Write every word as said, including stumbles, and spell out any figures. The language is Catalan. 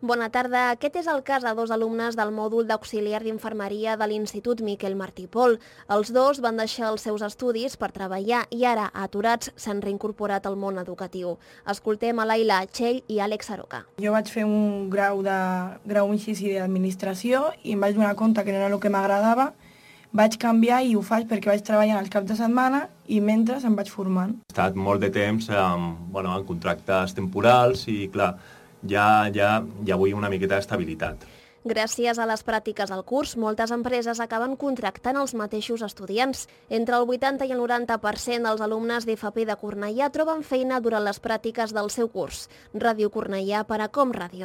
Bona tarda. Aquest és el cas de dos alumnes del mòdul d'auxiliar d'infermeria de l'Institut Miquel Martí i Pol. Els dos van deixar els seus estudis per treballar i ara, aturats, s'han reincorporat al món educatiu. Escoltem a Laila Txell i Àlex Aroca. Jo vaig fer un grau de grau inici d'administració i em vaig donar compte que no era el que m'agradava. Vaig canviar i ho faig perquè vaig treballant als caps de setmana i mentre em vaig formant. He estat molt de temps amb, bueno, en contractes temporals i, clar, ja, ja, ja vull una miqueta d'estabilitat. Gràcies a les pràctiques al curs, moltes empreses acaben contractant els mateixos estudiants. Entre el vuitanta i el noranta per cent dels alumnes d'F P de Cornellà troben feina durant les pràctiques del seu curs. Ràdio Cornellà per a Com Ràdio.